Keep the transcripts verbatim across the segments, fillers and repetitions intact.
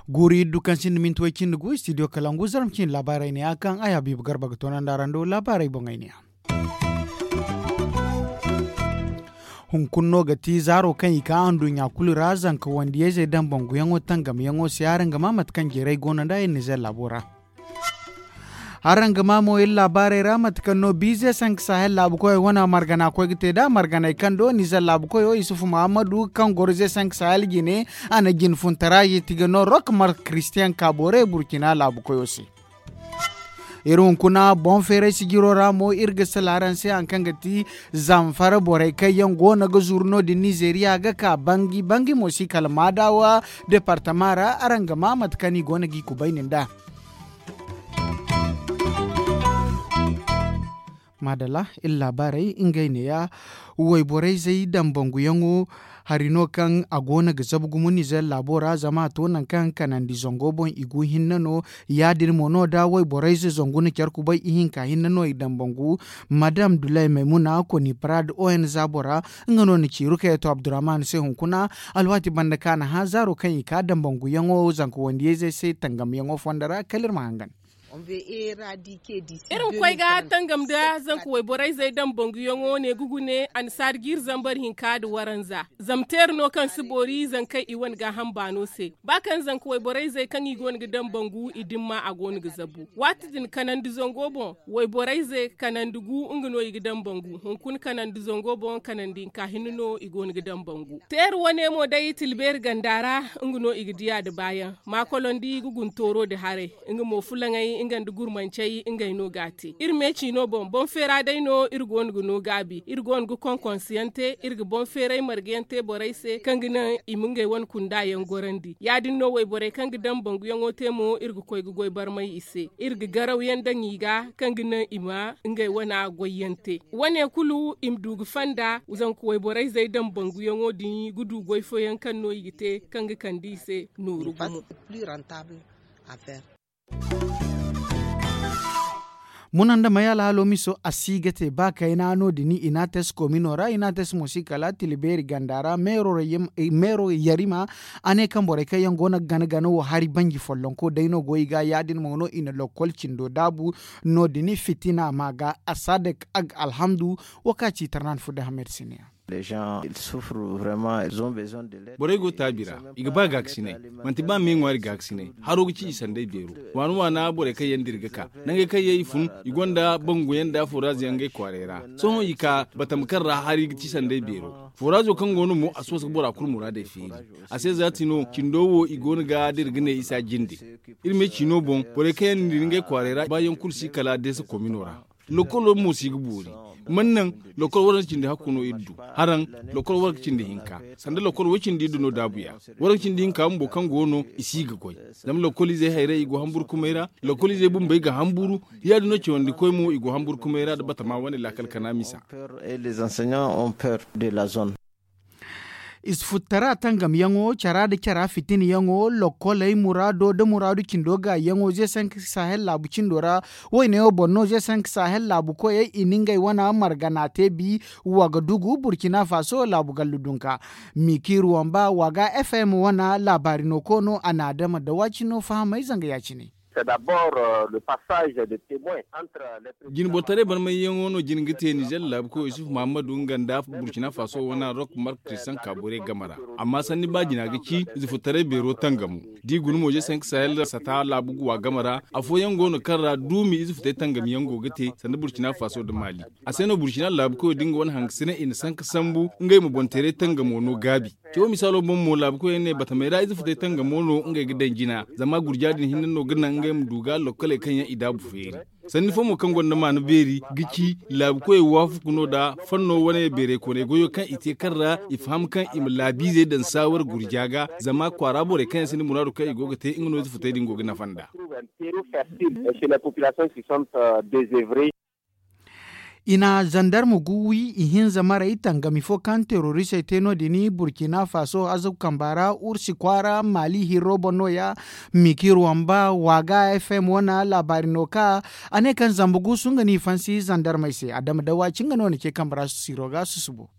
Guuri iddu kaŋ sinda minti way cindi gu studio kalangu zarma cindi laabaarey ne a kaŋ ay habiibu garba ga toonandi araŋ do laabaarey boŋey ne a. Hunkuna no ga ti zaaro kaŋ i ka anduɲɲa kulu ra zanka wandiyayzey daŋ banguyaŋo tangamyaŋo se araŋ ga ma mate kaŋ jeeray go no nd'a iri nizer laabo ra. Araŋ ga ma mo iri laabaarey ra mate kaŋ no biize sanka sahel laabu koyey wane margana koy ga te nd'a marganey kaŋ do nizer laabu koyo isufu muhammadu kaŋ goro ze sanka sahel jine a na jine funtara jiti ga no rok mark christian kaabore burkina laabu koyo se. Iri hunkuna boŋ feeray sijiro ra mo iri ga sala araŋ se hari kaŋ ga ti zamfara borey kaŋ yaŋ go no ga zuru no- din nizeriya ga ka bangi bangi mo si kala maadawa departama ra araŋ ga ma mate kaŋ i go no g'i kubayni nd'a. Maadalla iri laabaarey ngey neeya. Wayborayzey daŋ banguyaŋo hari no kaŋ a go no ga zabu gumo nizer laabo ra zama a to nangu kaŋ kanandi zango boŋ i gu hinne no. Ya- din mo no da wayborayze zangu na care kubay ihinka hinne no i daŋ bangu. Madam dulay maymuna koni parad o n za bora nga no na ci rukayatu abdurrahman se hunkuna. Alwaati banda kaŋ a na hã zaaro kaŋ i ka daŋ banguyaŋo zanka wandiyayzey se tangamyaŋo fondo ra kala iri ma hangan. Iri ma koy ga tangam nda zanka wayborayzey daŋ banguyaŋo ne ga gune annasaari jiiri zambar hinka nda waranza. Zama teeri no kaŋ si boori zankey i wane gaaham baano se ba kaŋ zanka wayborayzey kaŋ i go no ga daŋ bangu i dimma a go no ga zabu waati din kanandi zango boŋ. Wayborayze kanandi gu nga no i ga daŋ bangu hunkuna kanandi zango boŋ kanandi hinka hinne no i go no ga daŋ bangu. Teeri wane mo day tilbeeri ganda ra nga no i ga diya nda baayaŋ maakolondi ga guntooro nda haray. Nga mo fulaŋey nga nda gurmancey ngey no ga a te iri me ciino boŋ boŋ feera day no iri go no ga no gaabi iri go no ga konkonsiyaŋ te iri ga boŋ feeray margayaŋ te borey se kaŋ ga naŋ i ma ngey wane kunda yaŋ gorandi ya- din no wayborey kaŋ ga daŋ banguyaŋo te mo iri ga koy ga goy barmay i se iri ga garaw yaŋ daŋ i ga kaŋ ga naŋ i ma ngey wana goyyaŋ te. Wane kulu i ma du ga fanda zanka wayborayzey daŋ banguyaŋo din ga du goy fooyaŋ kaŋ no i ga te kaŋ ga kande i se nooru gumo. Muna nda may alhaalo miso a si ga te ba kayna no- din inates komino ra inates mo si kala tila beeri ganda ra meero yarima. A ne kaŋ borey kaŋ yaŋ go no ga gana gana wo hari banji follonko day no go i ga ya- din mo no i na lokkol cindo daabu. No- din fitina ma ga asadek ag alhamdu. Wo kaŋ a ci tarnan fudda hamed siniya. Borey go taabi ra i ga ba gaakasinay. Manti ba me ŋwaari gaakasinay haro ga ci i sanday beero. Waana waana borey kaŋ yaŋ dira ga ka nangey kaŋ yaŋ i fun i gonda bangu yaŋ nda furaaz yaŋ ngey kwaaray ra. Sohõ i ka batama kaŋ ra hari ga ci sanday beero. Furaazo kaŋ go no mo a si wasa ga bora kulu muraadey feeri. A se za ti no cindo wo i go no ga dira ga ne isa jinde. Iri me ciino boŋ borey kaŋ yaŋ na dira ngey kwaaray ra baayaŋ kulu si kala deesa komino ra. Lokkolo mo si ga boori. Man naŋ lokkol waranka cindi hakku no iri du. Haraŋ lokkol waranka cindi hinka sanda lokkol way cindi iri du no daabuya. Waranka cindi hinka bumbo kaŋ go no i si ga goy. Zama lokkol izey hayray i go hamburu kumay ra. Lokkol izey bumbey ga hamburu. Ya- din no cawandi koy mo i go hamburu kumay ra nda batama wane laakal kana misa. Ize futtara tangamyaŋo cara nda cara fitinyaŋo lokkoley muraado nda muraadu cindo gaayiyaŋo ze sanka sahel laabu cindo ra. Woyne wo boŋ no ze sanka sahel laabu koyey i na ngey wane margana te bi. Wa ga dugu burkina faso laabu gallu dunka. Mikiiru wamba wa ga fm wane laabaari no koono a na adama da waacino fahamay zanga ya- cine. Jinbotaray barmayyaŋo no jina ga te nizer laabu koy isufu muhammadu nga nda burkina faso wane rok mark kristian kaabore game ra. Amma sanni ba jina ga ci ize futtaray beero tangamo. Da i guna mo je sanka sahel sata laabu guwa game ra. Afooyaŋ go no kaŋ ra duumi ize futay tangamiyaŋ go ga te sanda burkina faso nda maali. A se no burkina laabu koyo da nga wane hangasina i na sanka sambu ngey ma boŋ teeray tangamo no gaabi. Cawo misaalo boŋ mo laabu koyey ne batamey ra ize futay tangamo no ngey ga daŋ jina. Zama gurja din hinne no ga naŋ ngey ma du ga lokkoley kaŋ yaŋ i daabu feeri. Sanni fo mo kaŋ gonda maana beeri ga ci laabu koyey waafaku no nda fanno wane beerey koonay goyo kaŋ i te kaŋ ra i faham kaŋ i ma laabiizey daŋ saawar gurja ga. Zama kwaara borey kaŋ yaŋ sinda muraadu kaŋ i go ga te nga no ize futay din go ga nafa nd'a. Chez les populations qui sont désoeuvrées. I na zandarma gu wi ihinza maray tangami fo kaŋ teroristey te no- din burkina faso azabu kamba ra ursi kwaara maali hirro boŋ no- ya mikir wamba waaga fm wane laabaari no ka a ne kaŋ zamba guusu nga no i fansi zandarmey se adama dawa ci nga no na ce kambe ra siro ga susubo.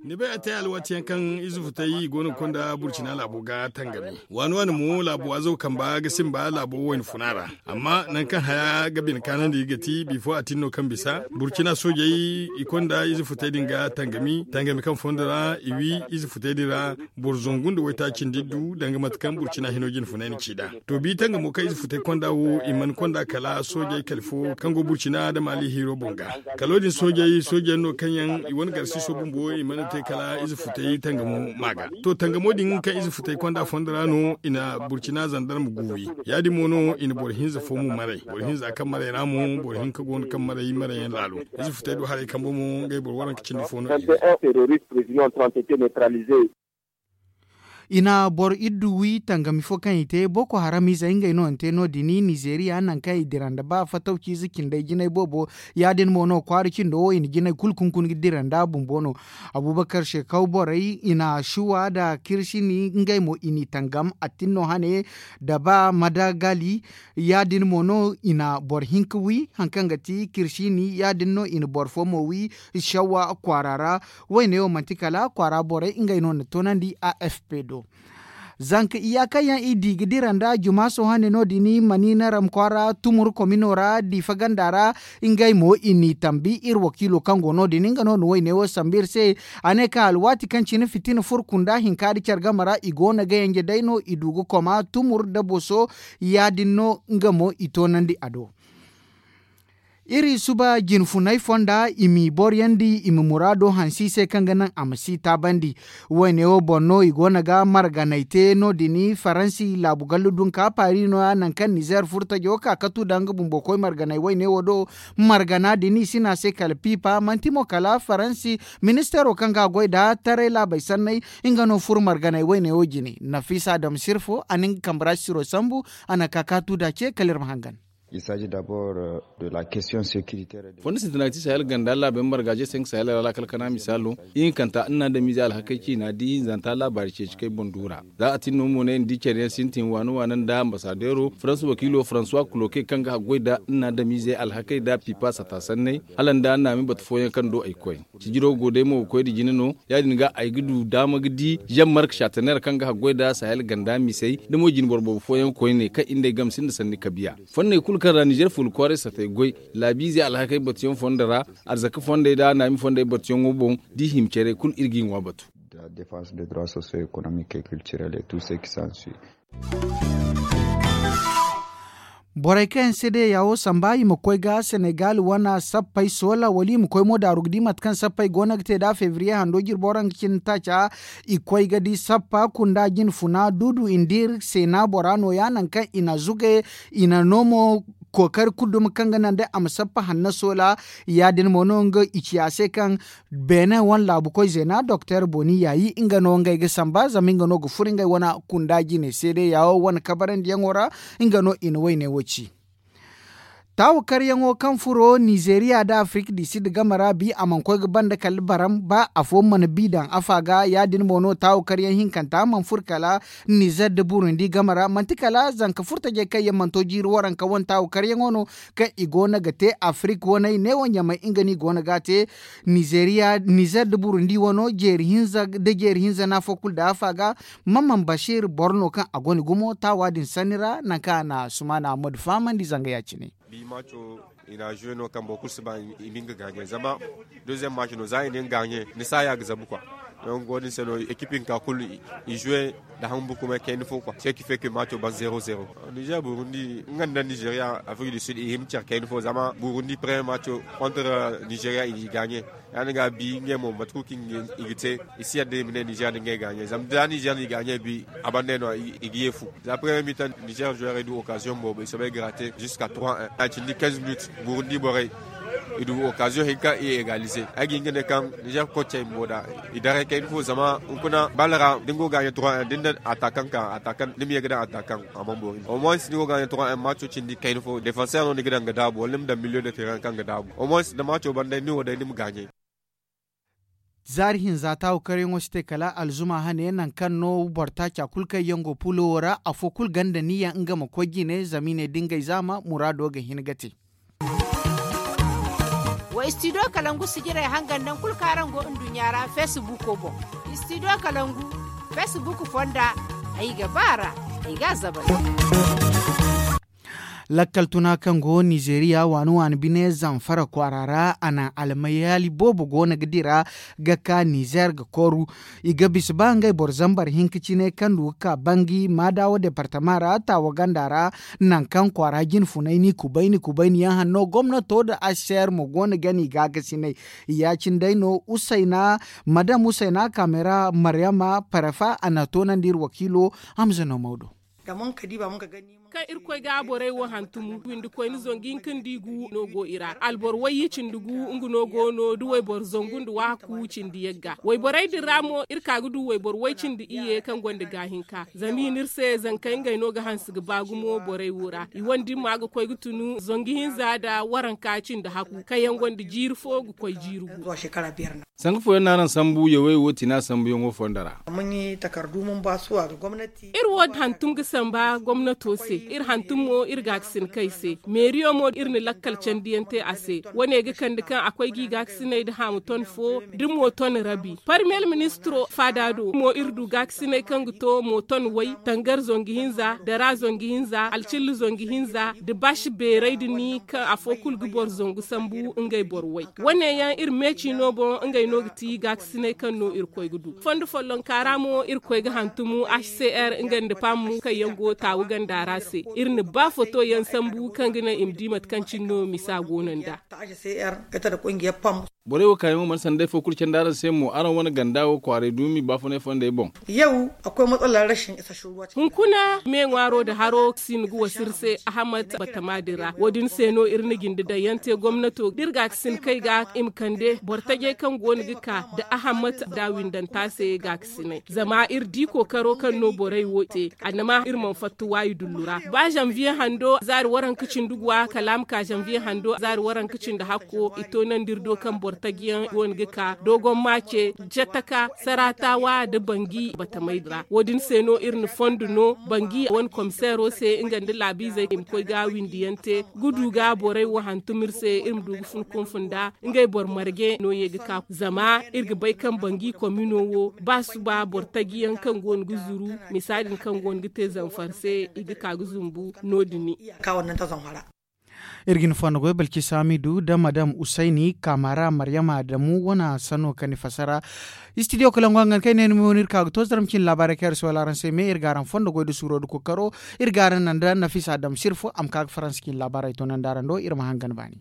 Ni bay a te alwaati yaŋ kaŋ ize futay i go no ga konda burcina laabo ga tangami waani waani mo laabo azaw kamba ga simba laabo wayna funa ra. Amma nangu kaŋ haya ga bine kaanandi ga ti bifo a tin no kaŋ bisa burcina soojey i konda ize futay din ga tangami tangami kaŋ fondo ra i wi ize futay din ra. Boro zangu nda waytaaci nda iddu danga mate kaŋ burcina hino jine funay na ci nd'a. To bi tangamo kaŋ ize futay konda wo i mana konda kala soojey kala fo kaŋ go burcina nda maali hiiro boŋ ga. Kalo din soojey soojeyaŋ no kaŋ yaŋ i wane garsiiso bumbo i mana te kala ize futay tangamo ma ga. To tangamo din kaŋ ize futay konda fondo ra no i na burcina zandarma gu wi. Ya- din mo no i na boro hinza fo mo maray boro hinza kaŋ maray ra mo boro hinka go no kaŋ maray maray yaŋ laalo. Ize futay do haray kambe mo ngey boro waranka cindi fo no i ne. I na boro iddu wi tangami fo kaŋ i te boko haram izey ngey no ni te no- din nizeeriya nangu kaŋ i dira nda ba fatawci ize cindey jinay boobo. Ya- din mo no kwaara cindo wo i na jinay kulu kunkun ga dira nda bumbo no. Abubakar shekaw borey i na shuwa nda kirsini ngey mo i n'i tangam attin no hane nda ba madagali. Ya- din mo no i na boro hinka wi hari kaŋ ga ti kirsini ya- din no i na boro fo mo wi. Shawwa kwaara ra. Wayne wo manti kala kwaara borey ngey no na toonandi a f p do. Zanka iyaakaŋ yaŋ i di ga dira nda jumaaso hane no- din maniina ram kwaara tumur komino ra diifa ganda ra. Ngey mo i n'i tambi iri wakiilo kaŋ go no- din nga no na wayne wo sambu iri se. A ne kaŋ alwaati kaŋ cine fitina furo kunda hinka nda care game ra i go no ga yanje day no i du ga koma tumur nda boso. Ya- din no nga mo i toonandi a do. Iri suba jinfunay fonda i m'i boryandi i ma muraado hanse i se kaŋ ga naŋ a ma si taabandi. Wayne wo boŋ no i go no ga marganay te no- din faransi laabu gallu dunka paari no- ya nangu kaŋ nizeer furtajo ka katu nda nga bumbo koy marganay wayne wo do. Margana din i si ne a se kala piipa manti mo kala faransi ministeero kaŋ ga a goy nda taray laabey sanney. Nga no furo marganay wayne wo jine nafiisa adama sirfo a na nga kambe ra siro sambu. A na ka kaatu nda ce kala iri ma hangan. Fondo sintina ga ti sahel ganda laabey margaaje se nga sahel ra laakal kana misaalo ihinkanta nna adamiizey alhakey ciina da ihinzanta laabaari ceeci kaŋ ay boŋ du ra. Za a tin no mo ne ni di care yaŋ sintin waana waana nda ambasadeero faransa wakiilo faransuwa kuloke kaŋ ga haggoy nda nna adamiizey alhakey nda piipa sata sanney. Hala nda naami batu fooyaŋ kaŋ do ay koy. Sijiro go day mo ga koy nda jine no ya- din ga ay ga du daama ga di zam mark sataneer kaŋ ga haggoy nda sahel ganda misey nda mo jinboro boobo fooyaŋ koyne kaŋ iri nd'ey game sinda sanni kabiya. Fonney kulu kaŋ ra nizeer fuula kwaaray satey goy laabiizey alhakey batuyaŋ fondo ra arzaka fondey nda naami fondey batuyaŋo boŋ. Da i hima care kulu iri g'i ŋwa batu. Borey kaŋ yaŋ se day ya wo samba i ma koy ga senegal wane sappey soola wala i ma koy mo daaru ga di mate kaŋ sappey go no ga te nda febriye hando jirbo ra nga cine taaca. I koy ga di sappa kunda jinfuna duudu i nda iri seena bora no- ya nangu kaŋ i na zuge i na no mo kookari kulu duma kaŋ ga naŋ day a ma sappa hanna soola. Ya- din mo no nga i ci a se kaŋ beene wane laabu koy zeena doktor boni yaayi nga no ngey ga samba zama nga no ga furo ngey wane kunda jine seede yaawo wane kabarandiyaŋo ra. Nga no i na wayne wo ci. Taawakaryaŋo kaŋ furo nizeeriya nda afirik di sid game ra bi a mana koy ga banda kala baram ba afo mana bi daŋ afa ga ya- din mo no taawakaryaŋ hinkanta mana furo kala nizer nda burundi game ra manti kala zanka furtajey kaŋ yaŋ mana to jiiri waranka wane taawakaryaŋo no kaŋ i go no ga te afirik waney neewo ɲamey nga no i go no ga a te. Nizeeriya nizer nda burundi wano jeeri hinza nda jeeri hinza no afo kulu daŋ afa ga. Maman basiir boro no kaŋ a gonda gumo taawa din sanni ra nangu kaŋ a na sumaana ammadu fahamandi zanga ya- cine. Bi maaco i na zuwe no kaŋ boro kulu si ba i ma nga gaaɲe zama deziyeŋ maaco no za i na nga gaaɲe ni saaya ga zabu kwa. Donk wo- din se no ekip hinka kulu i zuwe nda haŋ bukumay kayna fo kwa se ki feke maaco ban zero zero. Nizer burundi nga nda nizeeriya afirik du sid i hima care kayna fo zama burundi premier maaco kontra nizeeriya i na i gaaɲe. Ya- din ga bi ngey mo mate kulu kaŋ i ga te i si yadda i ma ne nizer nda ngey gaaɲe zama da nizer n'i gaaɲe bi a banda no i ga ye fu. Za premier mitan nizer zuweerey du okaziyoŋ boobo i soobay grate ziska trois un a cindi quinze minutes burundi borey. I du occasion hinka i égaliser. Ay ga hin ga ne kaŋ nizer koocey bumbo da i daray kayna fo zama hunkuna bal ra da ni go ga gaaɲe trois un da ni na attaquant ka attaquant ni ma ye ga daŋ attaquant a mana boori. Au moins ni go ga gaaɲe trois un maaco cindi kayna fo défenseur no ni ga daŋ ga daabu wala ni ma daŋ milieu de terrain kaŋ ga daabu au moins da maaco ban day ni wo day ni ma gaaɲe. Zaari hinza taawu karyaŋo si te kala alzuma hane nangu kaŋ no boro taaca kulu kaŋ yaŋ go pulo wo ra afo kulu ganda niyya nga ma koy jine zama i ne da ngey zaama muraado ga hin ga te. Wa istidiyo kalangu sijirey hangan nangu kulu kaŋ araŋ go nduɲɲa ra feesibuuko boŋ. Istidiyo kalangu feesibuuk fonda ay ga ba a ra. Ay ga a zabal. Lakkal tuna kaŋ go nizeeriya waani waani bine zamfara kwaara ra a na almayaali boobo go no ga dira ga ka nizeer ga koru. I ga bisa ba ngey boro zambar hinka cine kaŋ du ga ka bangi maadawa departama ra taawa ganda ra. Nangu kaŋ kwaara jine funay ni kubayni kubayni yaŋ hanno gomnato nda aseer mo go no ga ni gaagasinay. Ya- cine day no usayna madam usayna kaamera maryama parefa a na toonandi iri wakiilo. Hamza no mawdo. Kaŋ irkoy ga borey wo hantum windi koyne zangu hinka nda i gu no go i ra alboro wayye cindi gu nga no go no da wayboro zangu nda waaku cindi yagga wayborey din ra mo iri ka ga du wayboro way cindi iyye kaŋ gonda gaahinka zama i ne iri se zankey ngey no ga hanse ga ba gumo borey wo ra i wane dimma ga koy ga tunu zangu hinza nda waranka cindi haku kaŋ yaŋ gonda jiiri fo ga koy jiiri gu. Sanga fooyaŋ no araŋ sambu yawey wo tina sambuyaŋo fondo ra. Iri wo hantum ga samba gomnato se iri hantum mo iri gaakasinkey se meeriyo mo iri na lakkal candiyaŋ te a se wane ga kande kaŋ a koy ga i gaakasiney nda haamu ton fo da mo ton rabi parmiyer ministiro faada do mo iri du gaakasiney kaŋ ga to mo ton way tangar zangu hinza dara zangu hinza alcilla zangu hinza nda baashi beeray nda ni kaŋ afo kulu ga boro zangu sambu ngey boro way wane yaŋ iri meeci no boŋ ngey no ga ti gaakasiney kaŋ no iri koy ga du fondo follonka ra mo iri koy ga hantum hcr nga nda pam kaŋ yaŋ go taawu ganda ra se iri na ba foto yaŋ sambu kaŋ ga naŋ i ma di mate kaŋ cine no misa go no nd'a. Borey wo kaayaŋo mana sanda day fo kulu candi araŋ se mo araŋ wane ganda wo kwaaray duumi baafunay fondey boŋ. Hunkuna me ŋwaaro nda haro si ni ga wasa iri se ahammad batama din ra wo- din se no iri na jinde daŋ yaŋ te gomnato da iri gaakasinkey ga i ma kande boro tajey kaŋ go no ga ka nda ahammad nda windanta se gaakasiney zama iri di kookaro kaŋ no borey wo te annama iri mana fatta waayi dullu ra ba zanviye hando zaari waranka cindi guwa kala a ma ka zanviye hando zaari waranka cindi hakko i toonandi iri do kaŋ boro taji yaŋ go no ga ka dogon maace jataka saratawa nda bangi batamey ra wo- din se no iri na fondo no bangi wane komiseero se nga nda laabiizey i ma koy ga windi yaŋ te ga du ga borey wo hantum iri se iri ma du ga fun kunfunda ngey boro marje no ye ga ka zama iri ga bay kaŋ bangi komino wo ba suba boro taji yaŋ kaŋ go no ga zuru misa din kaŋ go no ga te zamfar se i ga ka ga zumbu no- din. Iri ga ni fondo goy balki samidu da madam usayni kaamara maryama adamu wane sanno kaŋ ni fassara. Istidiyo kalangu hangan kaŋ ay ne ni ma wane iri ka ga to zara ma cin laabaarey kaŋ iri si wala araŋ se me iri ga araŋ fondo goy nda suuro nda kookaro. Iri ga araŋ naŋ da nafisa adamu sirfo a ma ka ga faransa cin laabaarey toonandi araŋ do iri ma hangan baani.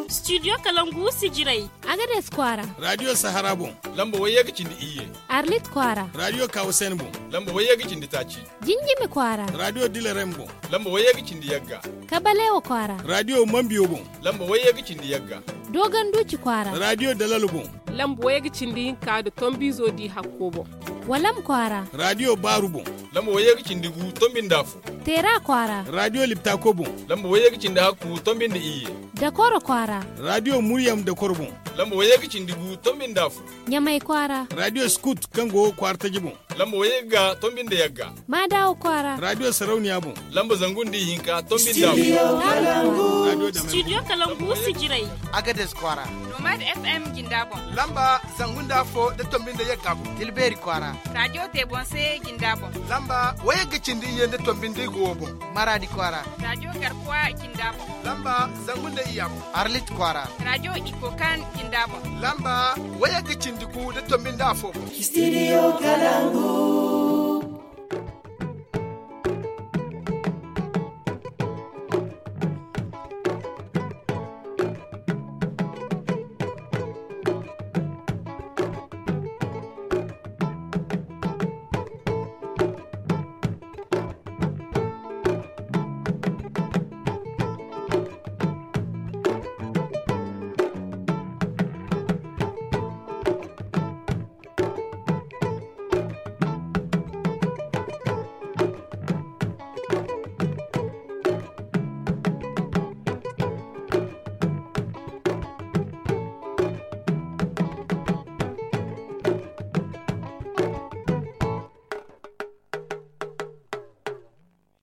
Studio kalangu sijirey. Agades kwaara. Radio sahara boŋ. Lamba wayye ga cindi iyye. Arlit kwaara. Radio kawusen boŋ. Lamba wayye ga cindi taaci. Jinjimi kwaara. Radio dilerem boŋ. Lamba wayye ga cindi yagga. Kabalewa kwaara. Radio mambiyo boŋ. Lamba wayye ga cindi yagga. Dogon duci kwaara. Radio dalalo boŋ. Lamba wayye ga cindi hinka nda tombizo di hakko boŋ. Walam kwaara. Radio baaru boŋ. Lamba wayye ga cindi gu tombi nda afo. Teera kwaara. Radio liptako boŋ. Lamba wayye ga cindi hakku tombi nda iyye. Dakoro kwaara. Radio muryam dakoro boŋ. Lamba wayye ga cindi gu tombi nda afo. Ɲamay kwaara. Radio skut kaŋ go kwaara taji boŋ. Lamba wayye ga tombi nda yagga. Maadawo kwaara. Radio sarauniya boŋ. Lamba zangu nda ihinka tombi nda afo. Studio kalangu sijirey. Agades kwaara. Nomad fm jinda boŋ. Lamba zangu nda afo nda tombi nda yagga boŋ. Tilbeeri kwaara. Radio tebonse jinda boŋ. Lamba wayye ga cindi iyye nda tombi nda igo boŋ. Maradi kwaara. Radio garkuwa jinda boŋ. Lamba zangu nda iyya boŋ. Arlit kwaara. Radio ikokan jinda boŋ. Lamba wayye ga cindi gu nda tombi nda afo boŋ. Studio kalangu.